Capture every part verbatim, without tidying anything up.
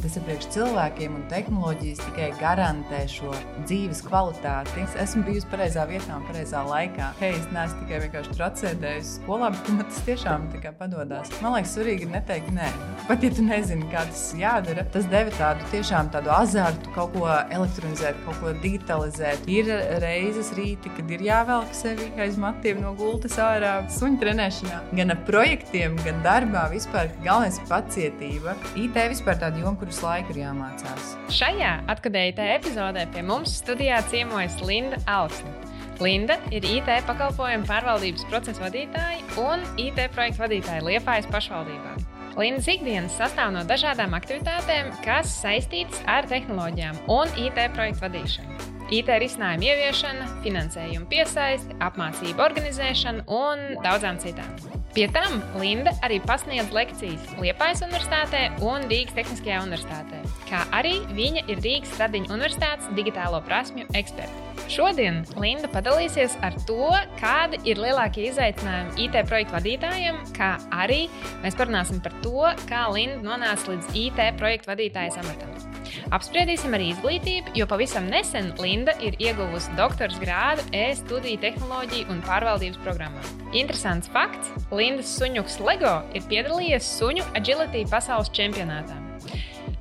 Tas ir priekš cilvēkiem, un tehnoloģijas tikai garantē šo dzīves kvalitāti. Es esmu bijusi pareizā vietā un pareizā laikā. Hei, es neesmu tikai vienkārši tracēdējusi skolā, bet man tas tiešām tikai padodas. Man liekas, svarīgi ir neteikt nē. Pat ja tu nezini, kā tas jādara, tas deva tādu tiešām tādu azartu, kaut ko elektronizēt, kaut ko digitalizēt. Ir reizes rīti, kad ir jāvelk sevi aiz matiem no gultas ārā suņu trenēšanā. Gan ar projektiem, gan darbā vispār galvenais ir pacietība. I T vispār tāda joma, kuras laiku ir jāmācās. Šajā Atkadēji I T epizodē pie mums studijā ciemojas Linda Alksne. Linda ir I T pakalpojumu pārvaldības procesa vadītāja un I T projektu vadītāja Liepājas pašvaldībā. Lindas ikdienas sastāv no dažādām aktivitātēm, kas saistītas ar tehnoloģijām un I T projektu vadīšanu. I T risinājumu ieviešana, finansējumu piesaisti, apmācību organizēšana un daudzām citām. Pie tam Linda arī pasniedz lekcijas Liepājas Universitātē un Rīgas Tehniskajā universitātē, kā arī viņa ir Rīgas Stradiņu Universitātes digitālo prasmju eksperte. Šodien Linda padalīsies ar to, kādi ir lielākie izaicinājumi I T projektu vadītājiem, kā arī mēs parunāsim par to, kā Linda nonāca līdz I T projektu vadītājas amatam. Apspriedīsim arī izglītību, jo pavisam nesen Linda ir ieguvusi doktora grādu e-studiju tehnoloģiju un pārvaldības programmā. Interesants fakts, Lindas suņuks Lego ir piedalījies suņu agility pasaules čempionātā.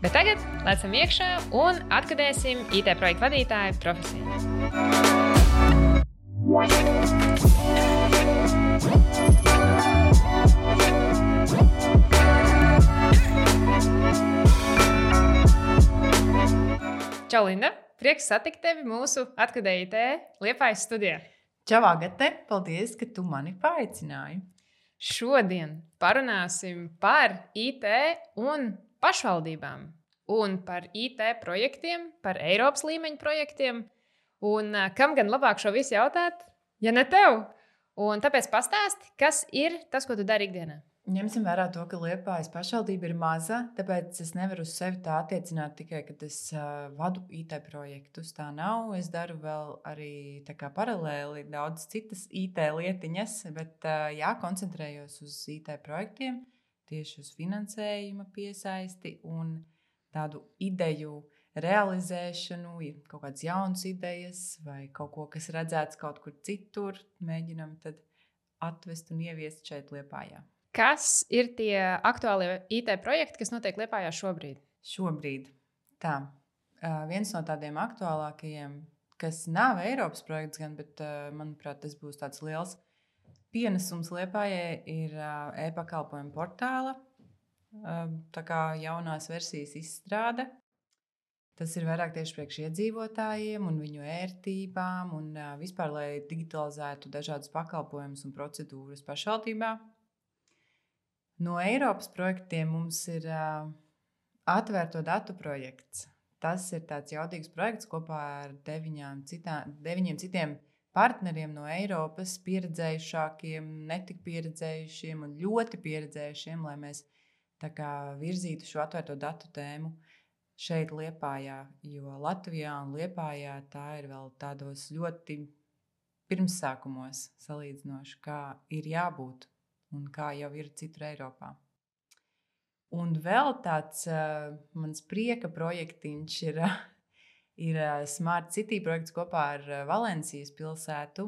Bet tagad lecam iekšā un atkadēsim I T projektu vadītāju profesiju. Čau, Linda! Prieks satikt tevi mūsu Atkadēji I T Liepājas studijā. Čau, Agate! Paldies, ka tu mani paaicināji. Šodien parunāsim par I T un pašvaldībām un par I T projektiem, par Eiropas līmeņa projektiem. Un kam gan labāk šo visu jautāt, ja ne tev? Un tāpēc pastāsti, kas ir tas, ko tu dari ikdienā? Ņemsim vērā to, ka Liepājas pašvaldība ir maza, tāpēc es nevaru uz sevi tā attiecināt tikai, kad es uh, vadu I T projektus. Tā nav. Es daru vēl arī tā kā paralēli daudz citas I T lietiņas, bet uh, jā, koncentrējos uz I T projektiem, tieši uz finansējuma piesaisti un tādu ideju realizēšanu, kaut kādas jaunas idejas vai kaut ko, kas redzēts kaut kur citur, mēģinam tad atvest un ieviest šeit Liepājā. Kas ir tie aktuālie I T projekti, kas notiek Liepājā šobrīd? Šobrīd. Tā. Uh, viens no tādiem aktuālākajiem, kas nav Eiropas projekts, gan, bet, uh, manuprāt, tas būs tāds liels pienesums Liepājai, ir uh, e-pakalpojumu portāla, uh, tā kā jaunās versijas izstrāde. Tas ir vairāk tieši priekš iedzīvotājiem un viņu ērtībām un uh, vispār, lai digitalizētu dažādus pakalpojumus un procedūras pašvaldībā. No Eiropas projektiem mums ir uh, atvērto datu projekts. Tas ir tāds jaudīgs projekts kopā ar deviņām citā, deviņiem citiem partneriem no Eiropas, pieredzējušākiem, netik pieredzējušiem un ļoti pieredzējušiem, lai mēs tā kā virzītu šo atvērto datu tēmu šeit Liepājā, jo Latvijā un Liepājā tā ir vēl tādos ļoti pirmsākumos salīdzinoši, kā ir jābūt un kā jau ir citur Eiropā. Un vēl tāds uh, mans prieka projektiņš ir, ir uh, Smart City projekts kopā ar uh, Valencijas pilsētu,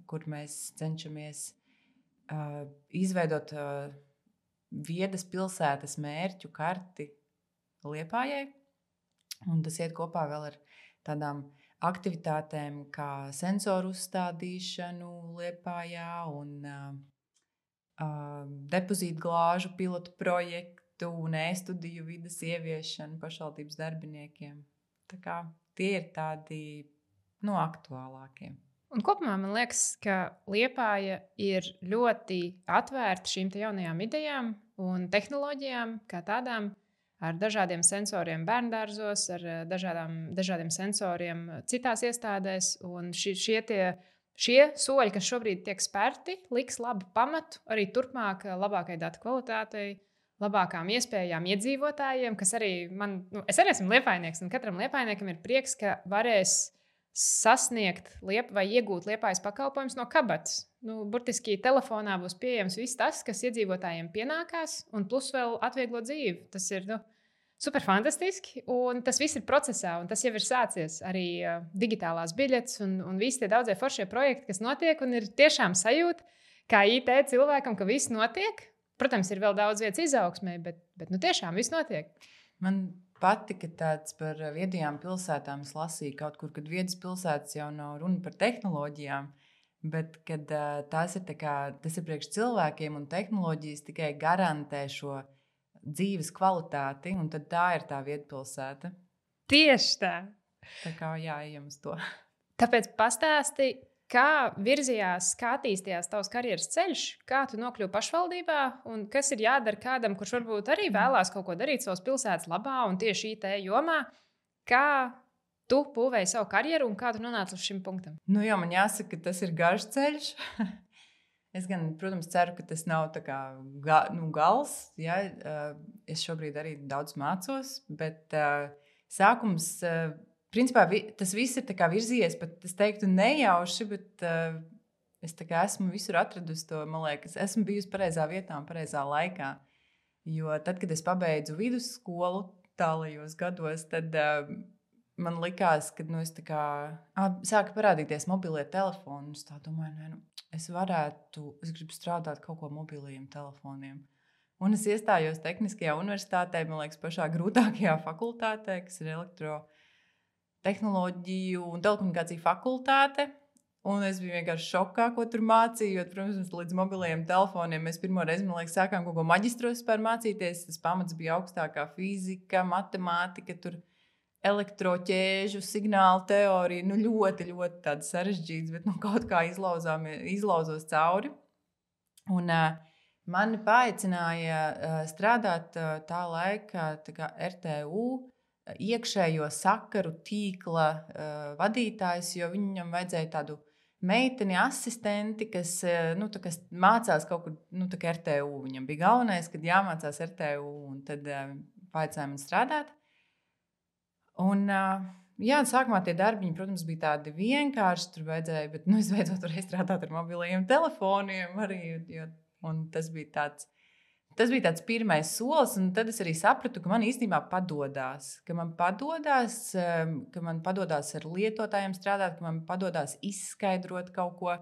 kur mēs cenšamies uh, izveidot uh, viedas pilsētas mērķu karti Liepājai. Un tas iet kopā vēl ar tādām aktivitātēm kā sensoru uzstādīšanu Liepājā un uh, Uh, depozītu glāžu pilotu projektu un e-studiju vides ieviešanu pašvaldības darbiniekiem. Tā kā tie ir tādi no aktuālākiem. Un kopumā man liekas, ka Liepāja ir ļoti atvērta šīm te jaunajām idejām un tehnoloģijām kā tādām, ar dažādiem sensoriem bērndārzos, ar dažādām, dažādiem sensoriem citās iestādēs. Un šie, šie tie Šie soļi, kas šobrīd tiek spērti, liks labu pamatu arī turpmāk labākai datu kvalitātei, labākām iespējām iedzīvotājiem, kas arī man, nu, es arī esmu liepājnieks, un katram liepājniekam ir prieks, ka varēs sasniegt liep, vai iegūt Liepājas pakalpojumus no kabatas. Nu, burtiski telefonā būs pieejams viss tas, kas iedzīvotājiem pienākās, un plus vēl atvieglo dzīvi. Tas ir nu, Super fantastiski, un tas viss ir procesā, un tas jau ir sācies arī uh, digitālās biļetes un, un visi tie daudzie foršie projekti, kas notiek, un ir tiešām sajūta, kā I T cilvēkam, ka viss notiek. Protams, ir vēl daudz vietas izaugsmē, bet, bet nu tiešām viss notiek. Man patika tāds par viedajām pilsētām. Es lasīju kaut kur, kad viedas pilsētas jau nav runa par tehnoloģijām, bet kad uh, tās ir tā kā, tas ir priekš cilvēkiem un tehnoloģijas tikai garantē šo dzīves kvalitāti, un tad tā ir tā vietpilsēta. Tieši tā. Tā kā jāejam uz to. Tāpēc pastāsti, kā virzījās, kā attīstījās tavs karjeras ceļš, kā tu nokļuvi pašvaldībā, un kas ir jādara kādam, kurš varbūt arī vēlās kaut ko darīt savas pilsētas labā un tieši I T jomā. Kā tu būvēji savu karjeru un kā tu nonāci līdz šim punktam? Nu jā, man jāsaka, ka tas ir garš ceļš. Es gan, protams, ceru, ka tas nav tā kā ga, nu, gals. Ja? Es šobrīd arī daudz mācos, bet uh, sākums, uh, principā vi, tas viss ir tā kā virzījies, pat es teiktu nejauši, bet uh, es tā kā esmu visur atradusi to, man liekas, esmu bijusi pareizā vietā un pareizā laikā. Jo tad, kad es pabeidzu vidusskolu tālajos gados, tad uh, man likās, ka nu, es tā kā ah, sāka parādīties mobilie telefoni. Es tā domāju, nē, nu, es varētu, es gribu strādāt kaut ko mobiliem telefoniem. Un es iestājos Tehniskajā universitātē, man liekas, pašā grūtākajā fakultātē, kas ir elektrotehnoloģiju un telekomunikāciju fakultāte. Un es biju vienkārši šokā, ko tur mācīju, jo, protams, līdz mobiliem telefoniem mēs pirmo reizi, man liekas, sākām kaut ko maģistros vispār mācīties. Tas pamats bija augstākā fizika, matemātika, tur elektroķēžu, signālu teorija, nu ļoti, ļoti tāds sarežģīts, bet nu, kaut kā izlauzos cauri. Un uh, mani paaicināja uh, strādāt uh, tā laika tā kā R T U iekšējo sakaru tīkla uh, vadītājs, jo viņam vajadzēja tādu meiteni asistenti, kas, uh, nu, tā, kas mācās kaut kur, nu, tā kā R T U. Viņam bija galvenais, kad jāmācās R T U, un tad uh, paaicināja man strādāt. Un, jā, sākumā tie darbiņi, protams, bija tādi vienkārši, tur vajadzēja, bet nu, es beidzot varēju strādāt ar mobiliem telefoniem arī, jo, un tas bija tāds, tas bija tāds pirmais solis, un tad es arī sapratu, ka man īstenībā padodās, ka man padodās, ka man padodās ar lietotājiem strādāt, ka man padodās izskaidrot kaut ko,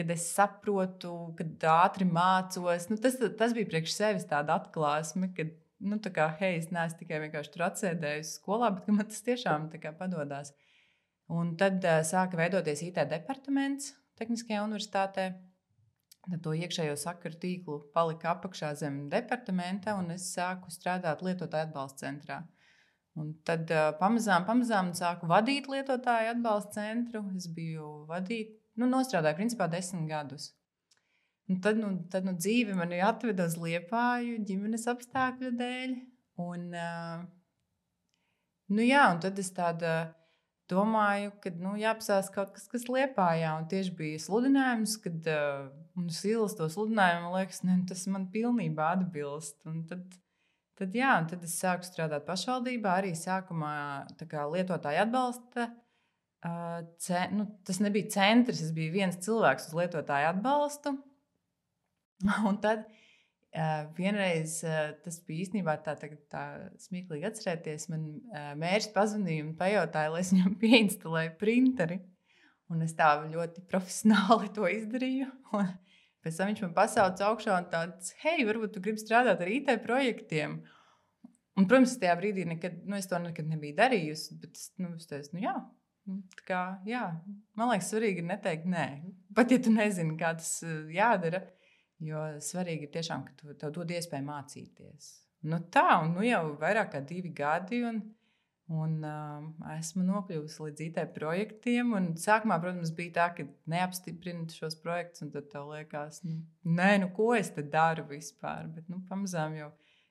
kad es saprotu, kad ātri mācos. Nu, tas, tas bija priekš sevis tāda atklāsme, kad nu, tā kā, hei, es neesmu tikai vienkārši tur atsēdējusi skolā, bet man tas tiešām tā kā padodās. Un tad uh, sāka veidoties I T departaments Tehniskajā universitātē. Tad to iekšējo sakaru tīklu palika apakšā zem departamenta, un es sāku strādāt lietotāju atbalsta centrā. Un tad uh, pamazām, pamazām sāku vadīt lietotāju atbalsta centru. Es biju vadīt, nu, nostrādāju principā desmit gadus. Un tad, nu, tad nu, dzīve mani atveda uz Liepāju ģimenes apstākļu dēļ. Un, uh, nu jā, un tad es tāda domāju, ka nu, jāapsās kaut kas, kas Liepājā. Un tieši bija sludinājums, kad uh, un es ilstu to sludinājumu, man liekas, ne, tas man pilnībā atbilst. Un tad, tad, jā, un tad es sāku strādāt pašvaldībā, arī sākumā tā kā lietotāju atbalsta. Uh, ce, nu, tas nebija centrs, es biju viens cilvēks uz lietotāju atbalstu. Un tad uh, vienreiz uh, tas bija īstenībā tā, tā, tā smieklīgi atcerēties. Man uh, mērs pazvanīja un pajautāja, lai es viņam pieinstalēju printeri. Un es tā ļoti profesionāli to izdarīju. Un pēc tam viņš man pasauca augšā un tāds, hei, varbūt tu gribi strādāt ar I T projektiem. Un, protams, tajā brīdī nekad, nu, es to nekad nebiju darījusi, bet nu, es teicu, nu jā. Tā kā, jā. Man liekas, svarīgi ir neteikt nē. Pat ja tu nezini, kā tas uh, jādara. Jo svarīgi ir tiešām, ka tu, tev dod iespēju mācīties. Nu tā, un nu jau vairāk kā divi gadi, un, un uh, esmu nokļuvusi līdz I T projektiem. Un sākumā, protams, bija tā, ka neapstiprina šos projektus, un tad tev liekas, nu, nē, nu ko es te daru vispār. Bet nu, pamazām jau,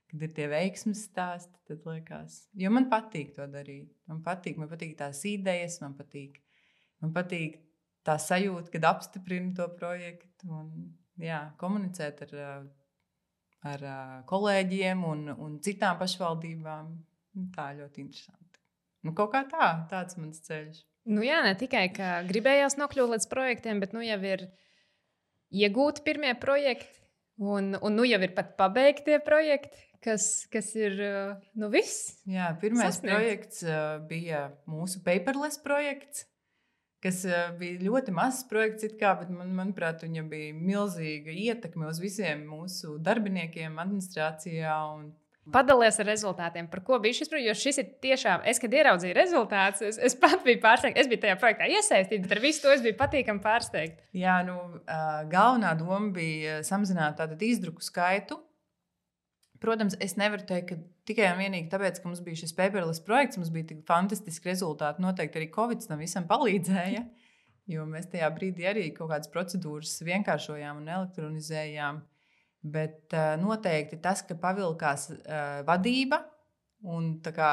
kad ir tie veiksmes stāsti, tad liekas, jo man patīk to darīt. Man patīk, man patīk tās idejas, man patīk, man patīk tā sajūta, kad apstiprina to projektu. Un, jā, komunicēt ar, ar kolēģiem un, un citām pašvaldībām. Tā ļoti interesanti. Nu, kaut kā tā, tāds mans ceļš. Nu jā, ne tikai, ka gribējās nokļūt līdz projektiem, bet nu jau ir iegūti pirmie projekti un, un nu jau ir pat pabeigtie projekti. kas, kas ir nu, viss. Jā, pirmais sasniegts. projekts uh, bija mūsu paperless projekts, kas uh, bija ļoti mazs projekts, it kā, bet man, manuprāt, viņam bija milzīga ietekme uz visiem mūsu darbiniekiem administrācijā. Un... Padalies ar rezultātiem, par ko bija šis projekts, jo šis ir tiešām, es, kad ieraudzīju rezultātus, es, es pat biju pārsteigta, es biju tajā projektā iesaistīta, bet ar visu to es biju patīkami pārsteigta. Jā, nu, galvenā doma bija samazināt tātad izdruku skaitu. Protams, es nevaru teikt, ka tikai un vienīgi tāpēc, ka mums bija šis paperless projekts, mums bija tik fantastiski rezultāti, noteikti arī Covid tam visam palīdzēja, jo mēs tajā brīdī arī kaut kādas procedūras vienkāršojām un elektronizējām. Bet uh, noteikti tas, ka pavilkās uh, vadība un tā kā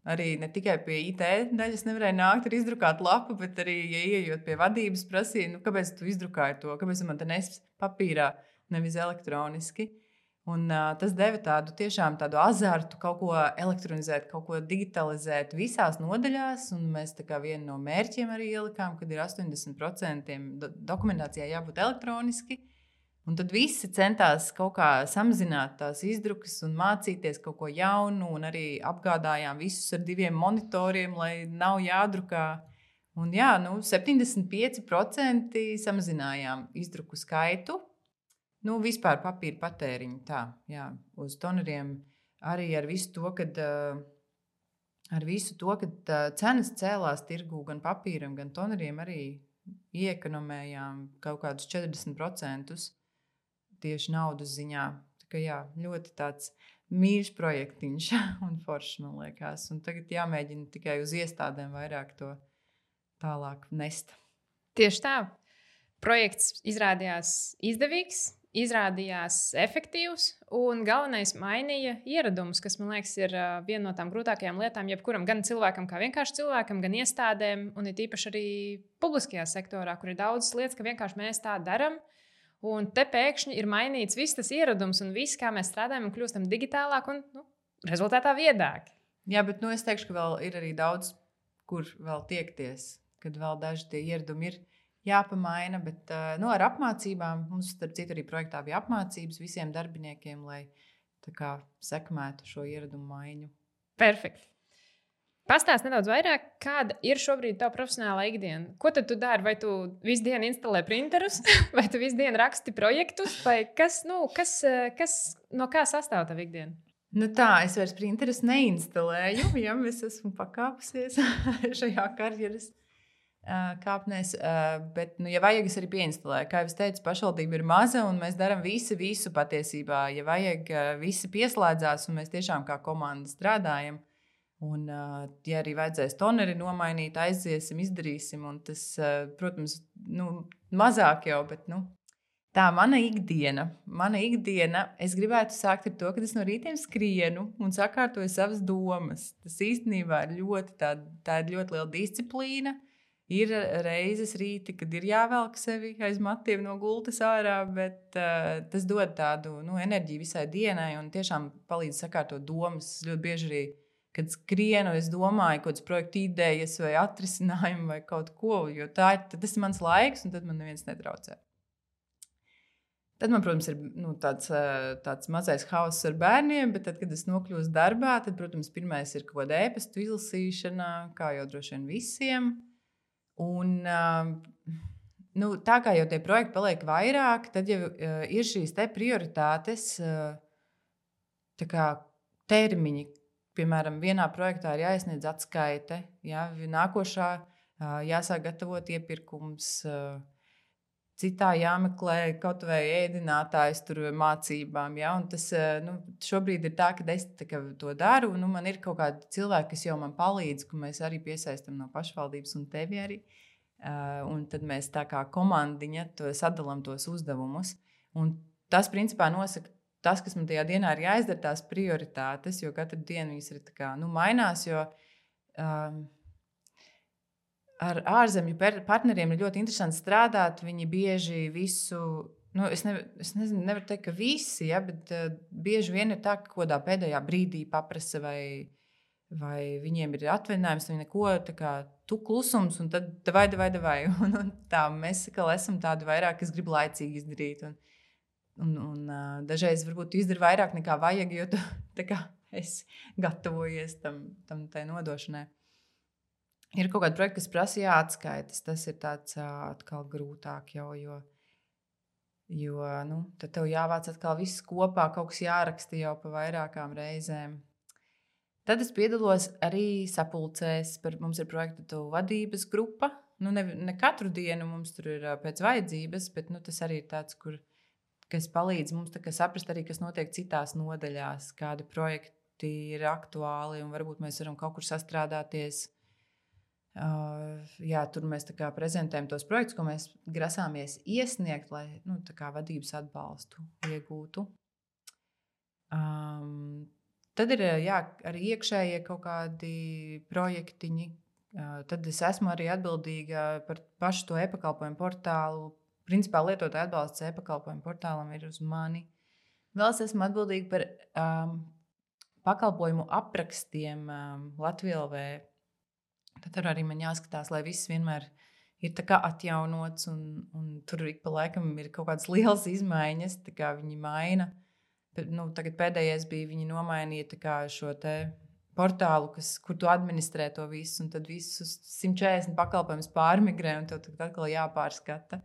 arī ne tikai pie I T daļas nevarēja nākt ar izdrukātu lapu, bet arī, ja ieejot pie vadības, prasīja, nu, kāpēc tu izdrukāji to, kāpēc man te nes papīrā, nevis elektroniski. Un uh, tas deva tādu tiešām tādu azartu kaut ko elektronizēt, kaut ko digitalizēt visās nodaļās, un mēs tā kā vienu no mērķiem arī ielikām, kad ir astoņdesmit procenti do- dokumentācijā jābūt elektroniski. Un tad visi centās kaut kā samazināt tās izdrukas un mācīties kaut ko jaunu, un arī apgādājām visus ar diviem monitoriem, lai nav jādrukā. Un jā, nu, septiņdesmit pieci procenti samazinājām izdruku skaitu. Nu, vispār papīra patēriņu tā, jā, uz toneriem arī ar visu to, kad, ar visu to, kad cenas cēlās tirgū gan papīram, gan toneriem arī iekonomējām kaut kādus četrdesmit procentus. Tieši naudas ziņā. Tā kā jā, ļoti tāds mīļš projektiņš un foršs, man liekas. Un tagad jāmēģina tikai uz iestādēm vairāk to tālāk nest. Tieši tā. Projekts izrādījās izdevīgs, izrādījās efektīvs un galvenais mainīja ieradumus, kas, man liekas, ir viena no tām grūtākajām lietām jebkuram, gan cilvēkam kā vienkārši cilvēkam, gan iestādēm, un ir īpaši arī publiskajā sektorā, kur ir daudzas lietas, ka vienkārši mēs tā daram. Un te pēkšņi ir mainīts viss tas ieradums un viss, kā mēs strādājam un kļūstam digitālāk un nu, rezultātā viedāki. Jā, bet nu, es teikšu, ka vēl ir arī daudz, kur vēl tiekties, kad vēl daži tie ieradumi ir jāpamaina, bet nu, ar apmācībām, mums starp citu arī projektā bija apmācības visiem darbiniekiem, lai tā kā sekmētu šo ieradumu maiņu. Perfekti. Pastāst nedaudz vairāk, kāda ir šobrīd tava profesionālā ikdiena. Ko tad tu dari? Vai tu visu dienu instalē printerus, vai tu visu dienu raksti projektus, vai kas, nu, kas, kas no kā sastāv tava ikdiena? Nu tā, es vairs printerus neinstalēju, ja es esmu pakāpusies šajā karjeras uh, kāpnēs, uh, bet, nu, ja vajag, es arī pieinstalēju. Kā jau es teicu, pašvaldība ir maza un mēs darām visi, visu patiesībā. Ja vajag, uh, visi pieslēdzās un mēs tiešām kā komanda strādājam. Un, ja arī vajadzēs toneri nomainīt, aiziesim, izdarīsim. Un tas, protams, nu, mazāk jau, bet nu, tā mana ikdiena. Mana ikdiena, es gribētu sākt ar to, ka es no rītiem skrienu un sakārtoju savas domas. Tas īstenībā ir ļoti, tā, tā ir ļoti liela disciplīna. Ir reizes rīti, kad ir jāvelk sevi aiz matiem no gultas ārā, bet uh, tas dod tādu nu, enerģiju visai dienai un tiešām palīdz sakārtot domas. Ļoti bieži arī kad skrienu, es domāju, kādas projekta idejas vai atrisinājumu vai kaut ko, jo tā ir, tas ir mans laiks, un tad man neviens netraucē. Tad man, protams, ir nu, tāds, tāds mazais hauss ar bērniem, bet tad, kad es nokļūstu darbā, tad, protams, pirmais ir kaut kāda ēpastu izlasīšana, kā jau droši vien visiem. Un nu, tā kā jau tie projekti paliek vairāk, tad jau ir šīs te prioritātes, tā kā termiņi. Piemēram, vienā projektā ir jāiesniedz atskaite, jā, nākošā jāsāk gatavot iepirkums, citā jāmeklē kaut vai ēdinātājs tur mācībām. Jā, un tas nu, šobrīd ir tā, ka es tā, ka to daru. Nu, man ir kaut kādi cilvēki, kas jau man palīdz, ka mēs arī piesaistam no pašvaldības un tevi arī. Un tad mēs tā kā komandiņa to sadalām tos uzdevumus. Un tas, principā, nosaka tas, kas man tajā dienā ir jāizdara, tās prioritātes, jo katru dienu viņas ir tā kā, nu, mainās, jo um, ar ārzemju partneriem ir ļoti interesanti strādāt. Viņi bieži visu, nu, es, ne, es nezinu, nevaru teikt, ka visi, ja, bet uh, bieži vien ir tā, ka kodā pēdējā brīdī paprasa vai, vai viņiem ir atvaļinājums, viņi neko, tā kā tu klusums, un tad davai, davai, davai. Un, un tā, mēs kā esam tādi vairāk, kas grib laicīgi izdarīt. Un, un, un uh, dažreiz varbūt izdara vairāk nekā vajag, jo tu tā kā esi gatavojies tam, tam tai nodošanai. Ir kaut kāda projekta, kas prasa jāatskaitas. Tas ir tāds uh, atkal grūtāk jau, jo, jo nu, tad tev jāvāc atkal viss kopā, kaut kas jāraksta jau pa vairākām reizēm. Tad es piedalos arī sapulcēs. Par, mums ir projekta vadības grupa. Nu, ne, ne katru dienu mums tur ir pēc vajadzības, bet nu, tas arī ir tāds, kur, kas palīdz mums saprast arī, kas notiek citās nodaļās, kādi projekti ir aktuāli un varbūt mēs varam kaut kur sastrādāties. Uh, jā, tur mēs tā kā prezentējam tos projektus, ko mēs grasāmies iesniegt, lai nu, tā kā vadības atbalstu iegūtu. Um, tad ir jā, arī iekšējie kaut kādi projektiņi. Uh, tad es esmu arī atbildīga par pašu to e-pakalpojumu portālu. Principā lietotāju atbalsts e-pakalpojumu portālam ir uz mani. Vēl es esmu atbildīga par um, pakalpojumu aprakstiem um, Latvijā L V. Tad tur arī man jāskatās, lai viss vienmēr ir tā kā atjaunots, un, un tur ik pa laikam ir kaut kādas lielas izmaiņas, tā kā viņi maina. Nu, tagad pēdējais bija, viņi nomainīja tā kā šo te portālu, kas, kur tu administrē to visu, un tad visus simt četrdesmit pakalpojumus pārmigrē, un tev tad atkal jāpārskata.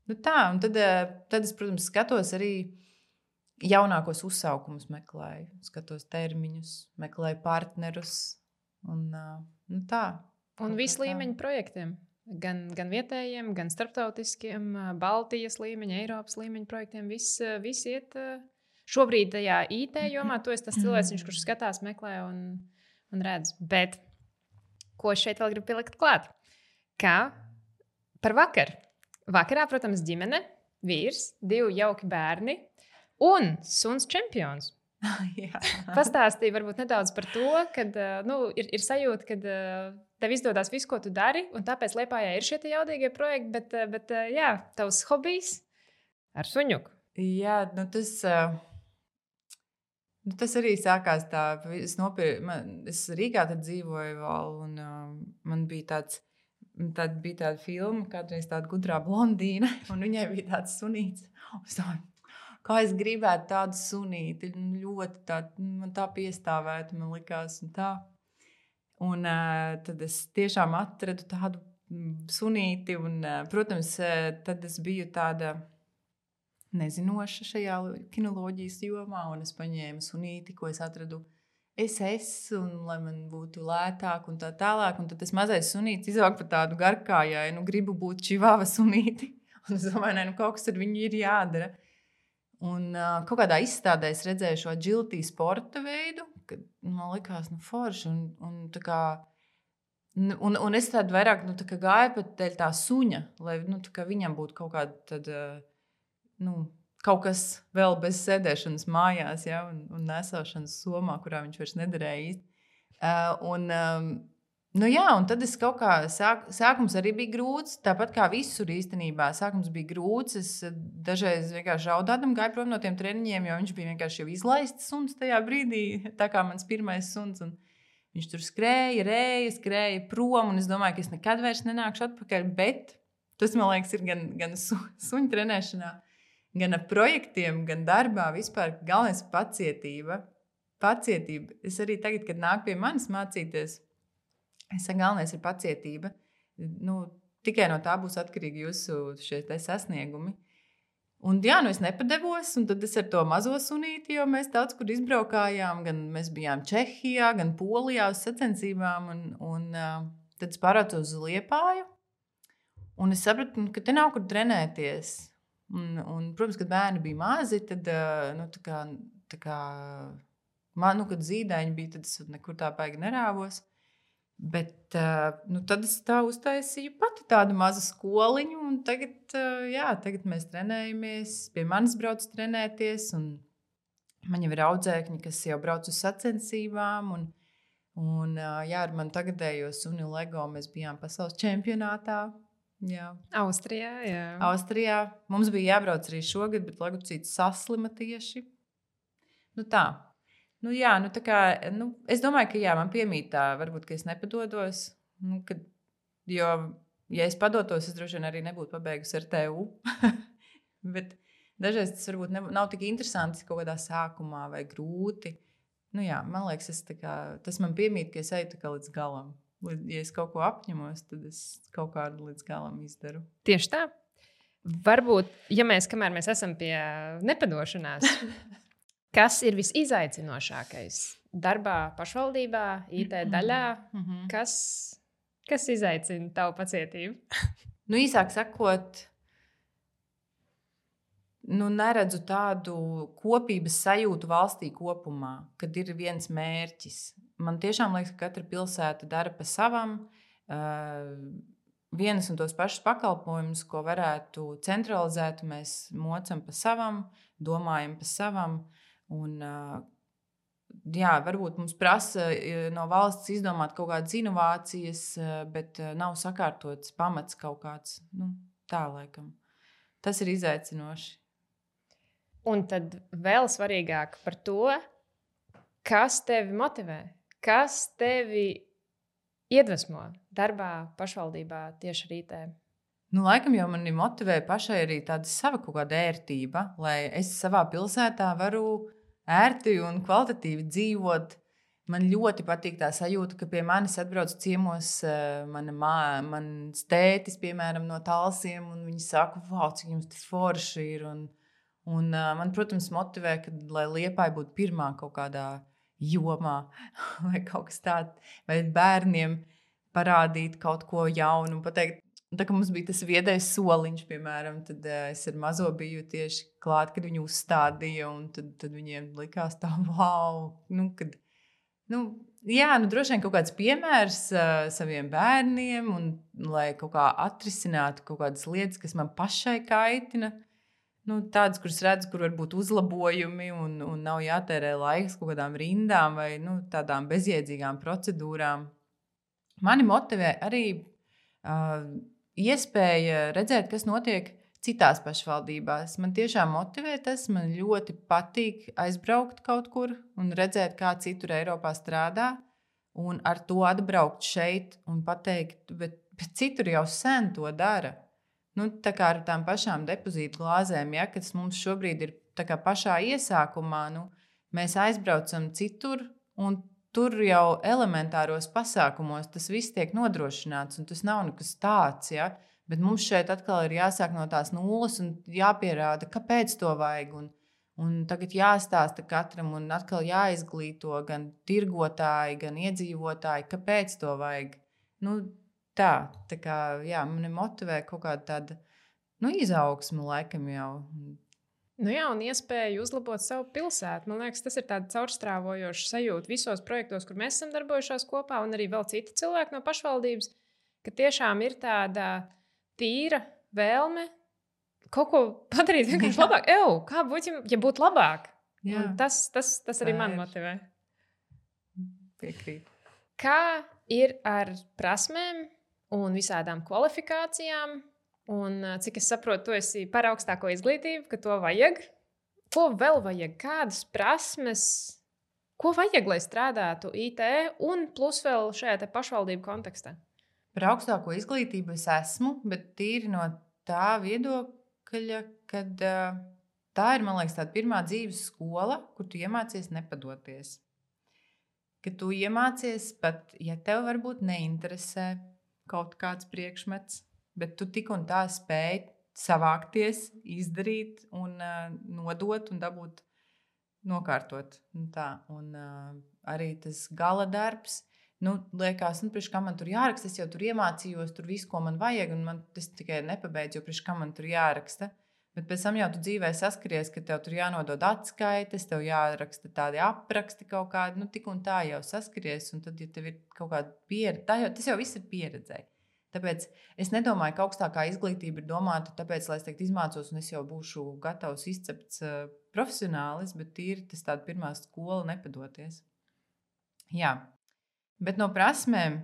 Nu tā, un tad, tad es, protams, skatos arī jaunākos uzsaukumus meklēju, skatos termiņus, meklēju partnerus, un nu tā. Un visu līmeņu projektiem, gan, gan vietējiem, gan starptautiskiem, Baltijas līmeņa, Eiropas līmeņa projektiem, viss vis iet šobrīd tajā I T jomā. Tu esi tas cilvēks, kurš skatās, meklē un, un redz. Bet ko šeit vēl gribu pielikt klāt? Kā par vakaru. Vakarā, protams, ģimene, vīrs, divi jauki bērni un suns čempions. Pastāstīja varbūt nedaudz par to, kad nu, ir, ir sajūta, ka tev izdodas viss, ko tu dari, un tāpēc Liepājā ir šie jaudīgie projekti, bet, bet jā, tavs hobijs ar suņuku. Jā, nu tas, nu tas arī sākās tā, es, nopir, man, es Rīgā tad dzīvoju vēl, un man bija tāds, tāda, bija tāda filma, kādreiz tāda gudrā blondīna, un viņai bija tāds sunīts. Es domāju, kā es gribētu tādu sunīti, ļoti tā, man tā piestāvētu, man likās, un tā. Un uh, tad es tiešām atradu tādu sunīti, un, uh, protams, uh, tad es biju tāda nezinoša šajā kinoloģijas jomā, un es paņēmu sunīti, ko es atradu es esmu, un lai man būtu lētāk, un tā tālāk. Un tad tas mazais sunītis izauga par tādu garkājai, nu gribu būt čivava sunīti. Un es domāju, ne, nu kaut kas ar viņu ir jādara. Un uh, kaut kādā izstādē es redzēju šo agility sporta veidu, kad man likās, nu, forši. Un, un, tā kā, un, un es tādu vairāk nu, tā kā gāju pat dēļ tā suņa, lai nu, tā kā viņam būtu kaut kāda, tad, uh, nu, kaut kas vēl bez sēdēšanas mājās, ja, un, un nesāšanas somā, kurā viņš vairs nederēja īsti. Uh, un, um, Nu jā, un tad es kaut kā, sāk, sākums arī bija grūts, tāpat kā visur īstenībā. Sākums bija grūts, es dažreiz vienkārši raudādam gāju prom no tiem treniņiem, jo viņš bija vienkārši jau izlaists suns tajā brīdī, tā kā mans pirmais suns. Un viņš tur skrēja, rēja, skrēja prom, un es domāju, ka es nekad vairs nenākšu atpakaļ, bet tas, man liekas, ir gan, gan su, suņu trenēšanā, gan ar projektiem, gan darbā vispār. Galvenais ir pacietība. Pacietība. Es arī tagad, kad nāk pie manis mācīties, es saku, galvenais ir pacietība. Nu, tikai no tā būs atkarīgi jūsu šie sasniegumi. Un jā, nu es nepadevos, un tad es ar to mazo sunīti, jo mēs daudz kur izbraukājām, gan mēs bijām Čehijā, gan Polijā uz sacensībām, un, un uh, tad es pārācu uz Liepāju, un es sapratu, ka te nav kur trenēties. Un, un protams, kad bērni bija mazi, tad, uh, nu, tā kā, tā kā, man, nu, kad zīdaiņi bija, tad es nekur tā baigi nerāvos. Bet nu, tad es tā uztaisīju pati tādu mazu skoliņu, un tagad, jā, tagad mēs trenējamies, pie manis brauc trenēties, un man jau ir audzēkņi, kas jau brauc uz sacensībām, un, un jā, ar mani tagadējo suni Lego mēs bijām pasaules čempionātā. Jā. Austrijā, jā. Austrijā. Mums bija jābrauc arī šogad, bet Legocīts saslima tieši. Nu tā. Nu, jā, nu, tā kā, nu, es domāju, ka jā, man piemīt tā, varbūt, ka es nepadodos. Nu, kad, jo, ja es padotos, es droši vien arī nebūtu pabeigusi ar T U. bet, dažreiz tas varbūt ne, nav tik interesanti kaut kādā sākumā vai grūti. Nu jā, man liekas, es tā kā, tas man piemīt, ka es eju tā kā līdz galam. Ja es kaut ko apņemos, tad es kaut kādu līdz galam izdaru. Tieši tā. Varbūt, ja mēs, kamēr mēs esam pie nepadošanās, kas ir visizaicinošākais darbā, pašvaldībā, I T daļā, Mm-hmm. kas, kas izaicina tavu pacietību? Nu, īsāk sakot, nu, neredzu tādu kopības sajūtu valstī kopumā, kad ir viens mērķis. Man tiešām liekas, ka katra pilsēta dara pa savam. Uh, vienas un tos pašus pakalpojumus, ko varētu centralizēt, mēs mocam pa savam, domājam pa savam. Un, uh, jā, varbūt mums prasa no valsts izdomāt kaut kādas inovācijas, bet nav sakārtots pamats kaut kāds. Nu, tā laikam. Tas ir izaicinoši. Un tad vēl svarīgāk par to, kas tevi motivē, kas tevi iedvesmo darbā, pašvaldībā tieši ar I T. Nu, laikam jau mani motivē pašai arī tāda sava kaut kāda ērtība, lai es savā pilsētā varu ērti un kvalitatīvi dzīvot. Man ļoti patīk tā sajūta, ka pie manis atbrauc ciemos mana mā, mans tētis, piemēram, no Talsiem, un viņi saka, wow, cik jums tas forši ir. Un, un man, protams, motivē, ka, lai Liepāja būtu pirmā kaut kādā jomā vai kaut kas tāds, vai bērniem parādīt kaut ko jaunu un pateikt. Tā kā mums bija tas viedais soliņš, piemēram, tad uh, es ar mazo biju tieši klāt, kad viņi uzstādīja, un tad, tad viņiem likās tā, wow, nu, kad, nu, jā, nu, droši vien kaut kāds piemērs uh, saviem bērniem, un lai kaut kā atrisinātu kaut kādas lietas, kas man pašai kaitina, nu, tādas, kuras redzu, kur var būt uzlabojumi, un, un nav jātērē laiks kaut kādām rindām vai, nu, tādām bezjēdzīgām procedūrām. Mani motivē arī uh, iespēja redzēt, kas notiek citās pašvaldībās. Man tiešām motivē tas, man ļoti patīk aizbraukt kaut kur un redzēt, kā citur Eiropā strādā, un ar to atbraukt šeit un pateikt, bet, bet citur jau sen to dara. Nu, tā kā ar tām pašām depozītu glāzēm, ja, kas mums šobrīd ir tā kā pašā iesākumā, nu, mēs aizbraucam citur un tur jau elementāros pasākumos tas viss tiek nodrošināts, un tas nav nekas tāds, ja? Bet mums šeit atkal ir jāsāk no tās nulles un jāpierāda, kāpēc to vajag. Un, un tagad jāstāsta katram un atkal jāizglīto gan tirgotāji, gan iedzīvotāji, kāpēc to vajag. Nu, tā, tā kā, jā, mani motivē kaut kāda tāda, nu, izaugsme laikam jau. Nu jā, un iespēju uzlabot savu pilsētu. Man liekas, tas ir tāds caurstrāvojošs sajūta visos projektos, kur mēs esam darbojušies kopā, un arī vēl citi cilvēki no pašvaldības, ka tiešām ir tāda tīra vēlme kaut ko padarīt vienkārši labāk. Ew, kā būtu, ja būtu labāk? Tas, tas, tas arī man motivē. Piekrīt. Kā ir ar prasmēm un visādām kvalifikācijām? Un, cik es saprotu, tu esi par augstāko izglītību, ka to vajag. Ko vēl vajag? Kādas prasmes? Ko vajag, lai strādātu I T un plus vēl šajā te pašvaldību kontekstā? Par augstāko izglītību es esmu, bet tīri no tā viedokļa, kad tā ir, man liekas, tāda pirmā dzīves skola, kur tu iemācies nepadoties. Kad tu iemācies pat, ja tev varbūt neinteresē kaut kāds priekšmets, bet tu tik un tā spēj savākties, izdarīt un uh, nodot un dabūt nokārtot. Un tā. Un uh, arī tas gala darbs, nu, liekas, nu, priekš kā man tur jāraksta, es jau tur iemācījos, tur visu, ko man vajag, un man tas tikai nepabeidz, jo priekš kā man tur jāraksta. Bet pēc tam jau tu dzīvē saskaries, ka tev tur jānodod atskaites, tev jāraksta tādi apraksti kaut kādi, nu, tik un tā jau saskaries, un tad, ja tev ir kaut kāda pieredze, tas jau viss ir pieredzēji. Tāpēc es nedomāju, ka augstākā izglītība ir domāta tāpēc, lai es teikt, izmācos un es jau būšu gatavs izcepts uh, profesionālis, bet tīri tas tāda pirmā skola nepadoties. Jā, bet no prasmēm,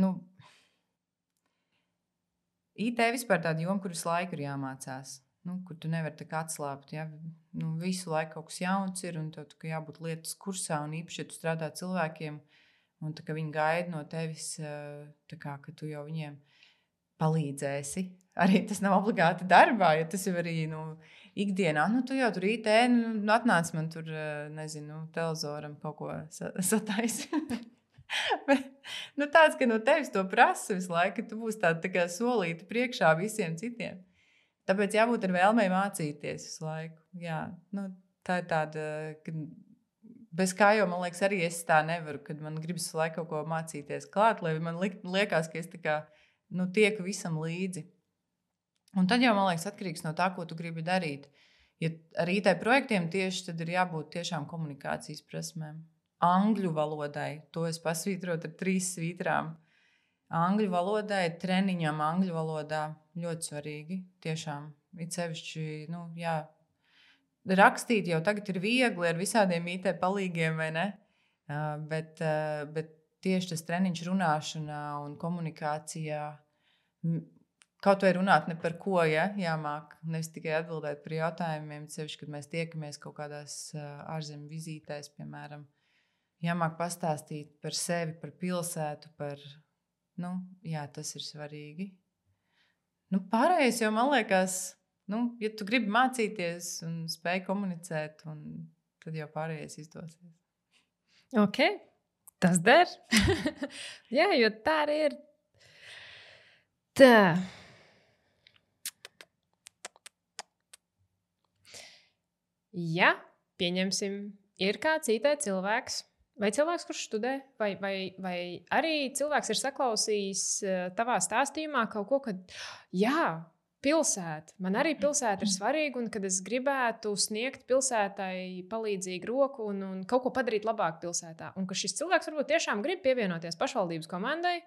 nu, I T vispār tāda joma, kur visu laiku ir jāmācās, nu, kur tu nevari tā kā atslāpt, ja? Nu, visu laiku kaut kas jauns ir un tev jābūt lietas kursā un īpaši, ja tu strādā cilvēkiem, un tā kā viņi gaida no tevis, tā kā, ka tu jau viņiem palīdzēsi. Arī tas nav obligāti darbā, jo tas jau arī nu, ikdienā. Nu, tu jau tur I T, nu, atnāc man tur, nezinu, televizoram kaut ko sataisi. Bet, nu, tāds, ka no tevis to prasa visu laiku, ka tu būsi tāda tā kā solīta priekšā visiem citiem. Tāpēc jābūt ar vēlmei mācīties visu laiku. Jā, nu, tā ir tāda, ka bez kā jau, man liekas, arī es tā nevaru, kad man gribas visu laiku kaut ko mācīties klāt, lai man liekas, ka es tā kā, nu, tieku visam līdzi. Un tad jau, man liekas, atkarīgs no tā, ko tu gribi darīt. Ja ar I T projektiem tieši tad ir jābūt tiešām komunikācijas prasmēm. Angļu valodai, to es pasvītrotu ar trīs svītrām. Angļu valodai, treniņam angļu valodā ļoti svarīgi, tiešām. It sevišķi, nu, jā, rakstīt jau tagad ir viegli ar visādiem I T palīgiem, vai ne? Uh, bet, uh, bet tieši tas treniņš runāšanā un komunikācijā, kaut vai runāt ne par ko, ja, jāmāk, nevis tikai atbildēt par jautājumiem, sevišķi, kad mēs tiekamies kaut kādās uh, ārzemju vizītēs, piemēram, jāmāk pastāstīt par sevi, par pilsētu, par, nu, jā, tas ir svarīgi. Nu, pārējais jau, man liekas, nu, ja tu gribi mācīties un spēj komunicēt, un tad jau pārējais izdosies. Ok, tas der. Jā, jo tā arī ir. Tā. Ja, pieņemsim, ir kāds I T cilvēks, vai cilvēks, kurš studē, vai, vai, vai arī cilvēks ir saklausījis tavā stāstījumā kaut ko, ka jā, pilsēta, man arī pilsēta ir svarīga, un kad es gribētu sniegt pilsētai palīdzīgu roku un, un kaut ko padarīt labāk pilsētā, un ka šis cilvēks varbūt tiešām grib pievienoties pašvaldības komandai,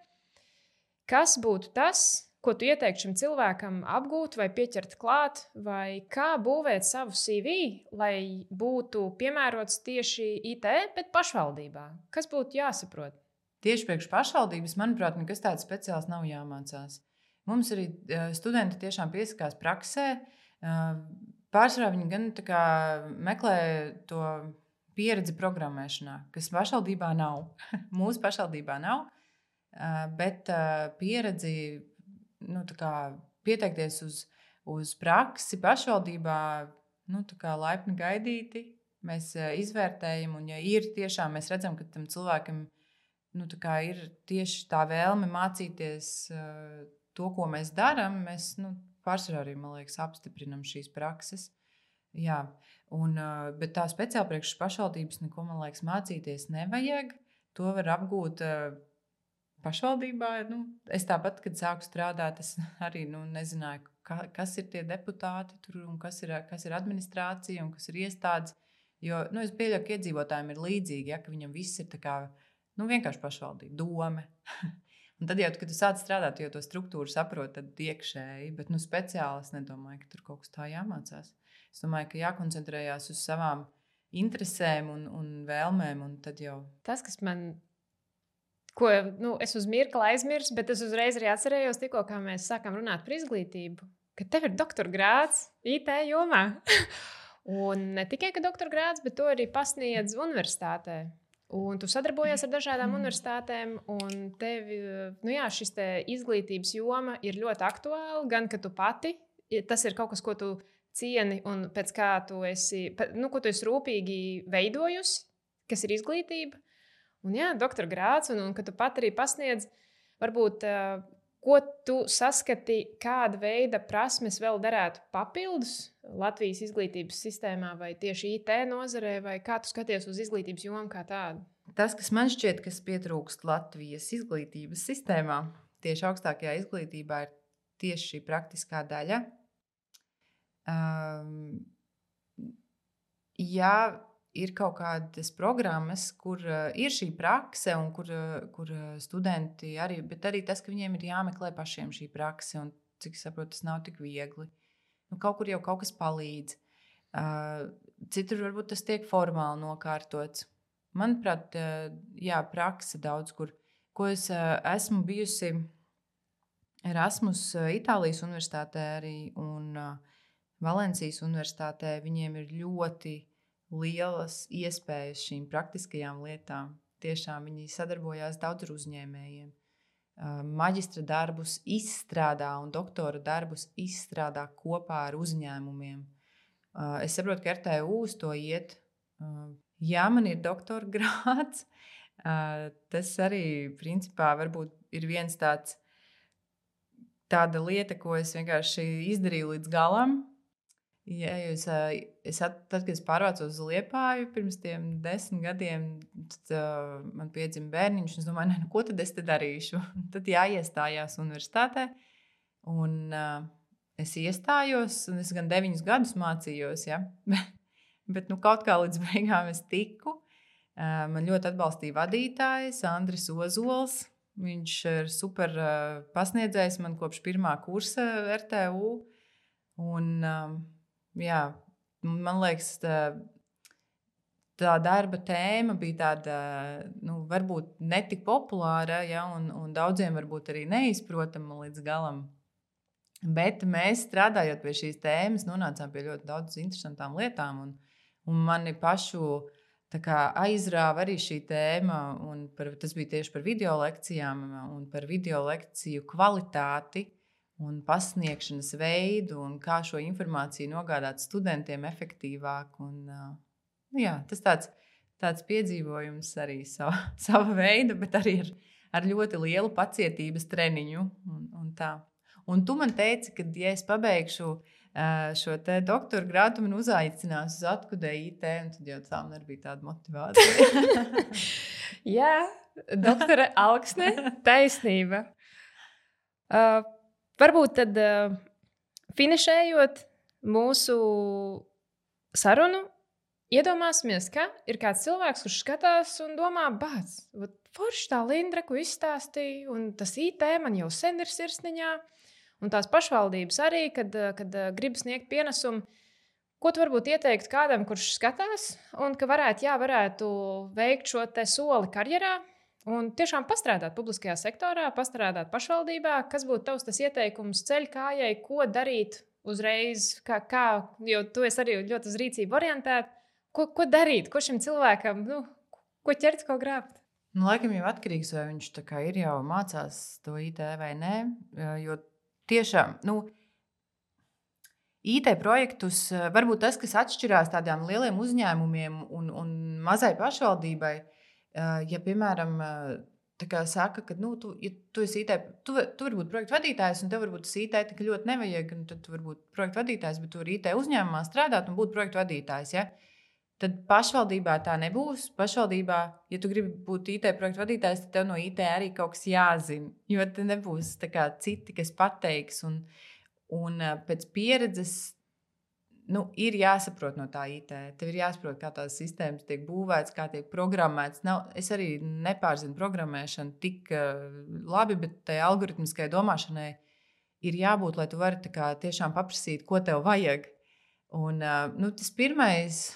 kas būtu tas, ko tu ieteiktu šim cilvēkam apgūt vai pieķert klāt, vai kā būvēt savu C V, lai būtu piemērots tieši I T, bet pašvaldībā? Kas būtu jāsaprot? Tieši priekš pašvaldības, manuprāt, nekas tāds speciāls nav jāmācās. Mums arī studenti tiešām piesakās praksē. Pārsvarā viņi gan tā kā meklē to pieredzi programmēšanā, kas pašvaldībā nav. Mūsu pašvaldībā nav, bet pieredzi, nu, tā kā pieteikties uz, uz praksi pašvaldībā, nu, tā kā laipni gaidīti. Mēs izvērtējam, un ja ir tiešām, mēs redzam, ka tam cilvēkam, nu, tā kā ir tieši tā vēlme mācīties uh, to, ko mēs darām, mēs, nu, pārsvarā arī, man liekas, apstiprinam šīs prakses. Jā, un, uh, bet tā speciāli priekš pašvaldības neko, man liekas, mācīties nevajag. To var apgūt uh, pašvaldībā. Nu, es tāpat, kad sāku strādāt, es arī nu, nezināju, ka, kas ir tie deputāti tur, un kas ir, kas ir administrācija un kas ir iestādes. Jo nu, es pieļauju, ka iedzīvotājiem ir līdzīgi, ja, ka viņam viss ir tā kā, nu, vienkārši pašvaldība, dome. Un tad jau, kad tu sāc strādāt, jau to struktūru saprot, tad iekšēji, bet nu, speciāli es nedomāju, ka tur kaut kas tā jāmācās. Es domāju, ka jākoncentrējās uz savām interesēm un, un vēlmēm, un tad jau... Tas, kas man... Ko nu, es uz mirkli aizmirsu, bet es uzreiz arī atcerējos, tikko kā mēs sākām runāt par izglītību, ka tev ir doktora grāds I T jomā. Un ne tikai ka doktora grāds, bet to arī pasniedz universitātē. Un tu sadarbojies ar dažādām universitātēm, un tev nu jā, šis te izglītības joma ir ļoti aktuāla, gan ka tu pati, tas ir kaut kas, ko tu cieni un pēc kā tu esi, nu, ko tu esi rūpīgi veidojusi, kas ir izglītība. Un jā, doktora grāds, un, un ka tu pat arī pasniedz, varbūt, uh, ko tu saskati, kāda veida prasmes vēl derētu papildus Latvijas izglītības sistēmā vai tieši I T nozarē, vai kā tu skaties uz izglītības jomu kā tādu? Tas, kas man šķiet, kas pietrūkst Latvijas izglītības sistēmā, tieši augstākajā izglītībā ir tieši šī praktiskā daļa. Um, jā, ir kaut kādas programmas, kur uh, ir šī prakse un kur, uh, kur uh, studenti arī, bet arī tas, ka viņiem ir jāmeklē pašiem šī prakse un, cik es saprotu, tas nav tik viegli. Nu, kaut kur jau kaut kas palīdz. Uh, citur varbūt tas tiek formāli nokārtots. Manuprāt, uh, jā, prakse daudz kur. Ko es uh, esmu bijusi Erasmus uh, Itālijas universitātē arī un uh, Valencijas universitātē, viņiem ir ļoti lielas iespējas šīm praktiskajām lietām. Tiešām viņi sadarbojās daudz ar uzņēmējiem. maģistra darbus izstrādā un doktora darbus izstrādā kopā ar uzņēmumiem. Es saprotu, ka R T U uz to iet. Jā, man ir doktora grāds. Tas arī, principā, varbūt ir viens tāds tāda lieta, ko es vienkārši izdarīju līdz galam. Ja es, es at, tad, kad es pārvācos uz Liepāju pirms tiem desmit gadiem, tad uh, man piedzima bērniņš, un es domāju, ne, ko tad es te darīšu? Tad jāiestājās universitātē, un uh, es iestājos, un es gan deviņus gadus mācījos, ja? Bet nu, kaut kā līdz beigām es tiku. Uh, man ļoti atbalstīja vadītājs Andris Ozols. Viņš ir super uh, pasniedzējs man kopš pirmā kursa R T U. Un, uh, jā, man liekas, tā, tā darba tēma bija tāda, nu, varbūt netik populāra, ja, un, un daudziem varbūt arī neizprotama līdz galam. Bet mēs, strādājot pie šīs tēmas, nonācām pie ļoti daudz interesantām lietām. Un, un mani pašu tā kā aizrāva arī šī tēma, un par, tas bija tieši par video lekcijām un par video lekciju kvalitāti un pasniegšanas veidu un kā šo informāciju nogādāt studentiem efektīvāk. Un, jā, tas tāds, tāds piedzīvojums arī sava, sava veida, bet arī ar, ar ļoti lielu pacietības treniņu. Un, un, tā. Un tu man teici, ka, ja es pabeigšu šo te doktora grādu, man uzaicinās uz Atkudē I T, un tad jau tā man arī bija tāda motivācija. Jā, doktore Alksne, taisnība. Uh, varbūt tad uh, finišējot mūsu sarunu, iedomāsimies, ka ir kāds cilvēks, kurš skatās un domā, bāc, forši tā Lindra, ko izstāstīja, un tas I T man jau sen ir sirsniņā. Un tās pašvaldības arī, kad, kad grib sniegt pienesumu, ko tu varbūt ieteiktu kādam, kurš skatās, un ka varētu, jā, varētu veikt šo te soli karjerā un tiešām pastrādāt publiskajā sektorā, pastrādāt pašvaldībā, kas būtu tavs tas ieteikums ceļkājai, ko darīt uzreiz, kā, kā, jo tu esi arī ļoti uz rīcību orientēt, ko, ko darīt, ko šim cilvēkam, nu, ko ķert, ko grābt? Nu, laikam jau atkarīgs, vai viņš tā kā ir jau mācās to I T vai nē, jo tiešām, nu, I T projektus, varbūt tas, kas atšķirās tādām lieliem uzņēmumiem un, un mazai pašvaldībai, ja, piemēram, tā kā saka, ka, nu, tu, ja tu esi I T, tu, tu vari būt projektu vadītājs, un tev varbūt tas I T tik ļoti nevajag, un tad tu vari būt projektu vadītājs, bet tu vari I T uzņēmumā strādāt un būt projektu vadītājs, ja? Tad pašvaldībā tā nebūs. Pašvaldībā, ja tu gribi būt I T projektu vadītājs, tad tev no I T arī kaut kas jāzina. Jo te nebūs tā kā citi, kas pateiks. Un, un pēc pieredzes nu, ir jāsaprot no tā I T. Tev ir jāsaprot, kā tās sistēmas tiek būvētas, kā tiek programmētas. Nav, es arī nepārzinu programmēšanu tik uh, labi, bet tai algoritmiskai domāšanai ir jābūt, lai tu vari tā kā tiešām paprasīt, ko tev vajag. Un uh, nu, tas pirmais...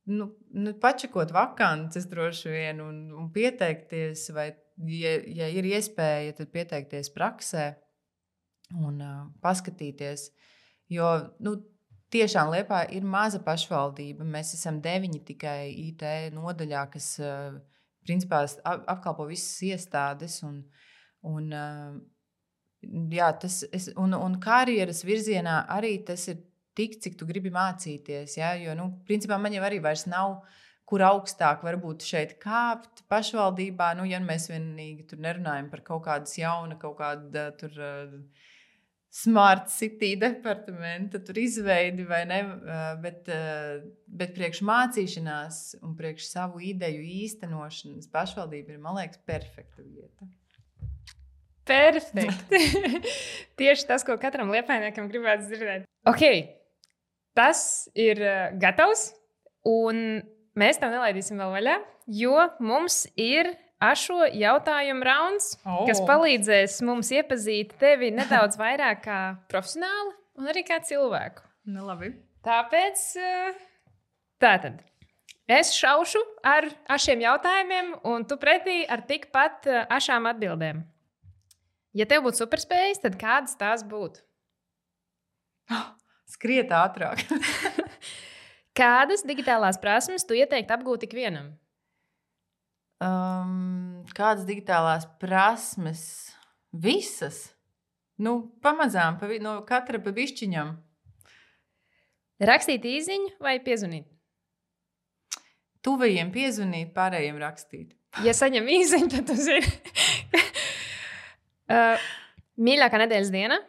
Nu, nu, pačakot vakances droši vien un, un pieteikties, vai, ja, ja ir iespēja, tad pieteikties praksē un uh, paskatīties. Jo nu, tiešām Liepā ir maza pašvaldība. Mēs esam deviņi tikai I T nodaļā, kas uh, principā apkalpo visas iestādes. Un, un, uh, jā, tas, es, un, un karjeras virzienā arī tas ir tik, cik tu gribi mācīties, ja? Jo, nu, principā man jau arī vairs nav, kur augstāk varbūt šeit kāpt pašvaldībā, nu, ja mēs vienīgi tur nerunājam par kaut kādas jauna, kaut kāda tur uh, smart city departamenta, tur izveidi vai ne, uh, bet, uh, bet priekš mācīšanās un priekš savu ideju īstenošanas pašvaldība ir, man liekas, perfekta vieta. Perfekti! Tieši tas, ko katram liepājniekam gribētu dzirdēt. Ok. Tas ir gatavs, un mēs tam nelaidīsim vēl vaļā, jo mums ir ašo jautājumu rauns, oh. kas palīdzēs mums iepazīt tevi nedaudz vairāk kā profesionāli un arī kā cilvēku. Nu, labi. Tāpēc, tātad, es šaušu ar ašiem jautājumiem, un tu pretī ar tikpat ašām atbildēm. Ja tev būtu superspējas, tad kādas tās būtu? Skriet ātrāk. Kādas digitālās prasmes tu ieteiktu apgūt ikvienam? Um, Kādas digitālās prasmes? Visas. Nu, pamazām, pa, no katra pa bišķiņam. Rakstīt īziņu vai piezvanīt? Tuvajiem piezvanīt, pārējiem rakstīt. Ja saņem īziņu, tad tu zini. uh, mīļākā nedēļas diena?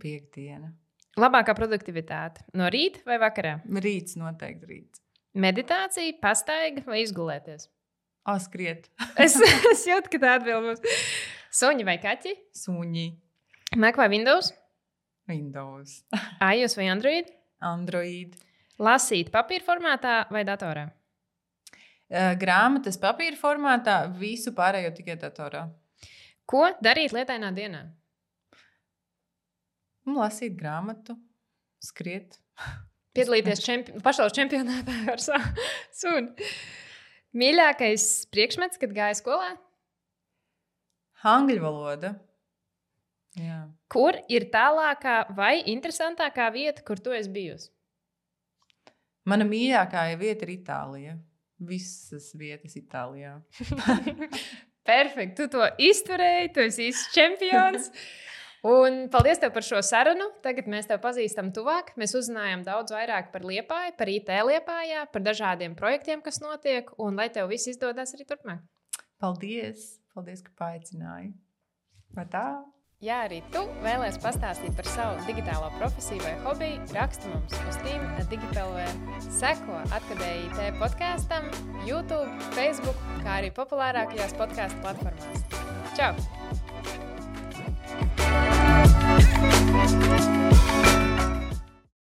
Piektdiena. Labākā produktivitāte? No rīta vai vakarā? Rīts, noteikti rīts. Meditācija, pastaiga vai izgulēties? O, skriet. es, es jūtu, ka tā atbild būs. Suņi vai kaķi? Suņi. Mac vai Windows? Windows. iOS vai Android? Android. Lasīt papīra formātā vai datorā? Grāmatas papīra formātā, visu pārējo tikai datorā. Ko darīt lietainā dienā? Lasīt grāmatu, skriet. Piedalīties čempi pasaules čempionātā ar savu suni. Mīļākais priekšmets, kad gāja skolā? Angļu valoda. Jā. Kur ir tālākā vai interesantākā vieta, kur tu esi bijusi? Mana mīļākā vieta ir Itālija. Visas vietas Itālijā. Perfekti, tu to izturēji, tu esi īsts čempions. Un paldies tev par šo sarunu. Tagad mēs tev pazīstam tuvāk. Mēs uzzinājām daudz vairāk par Liepāju, par I T Liepājā, par dažādiem projektiem, kas notiek, un lai tev viss izdodas arī turpmāk. Paldies! Paldies, ka paaicināji. Vai tā? Ja arī tu vēlies pastāstīt par savu digitālo profesiju vai hobiju, raksti mums uz team at digipelv. Seko Atkadēji I T podkastam, YouTube, Facebook, kā arī populārākajās podcastu platformās. Čau!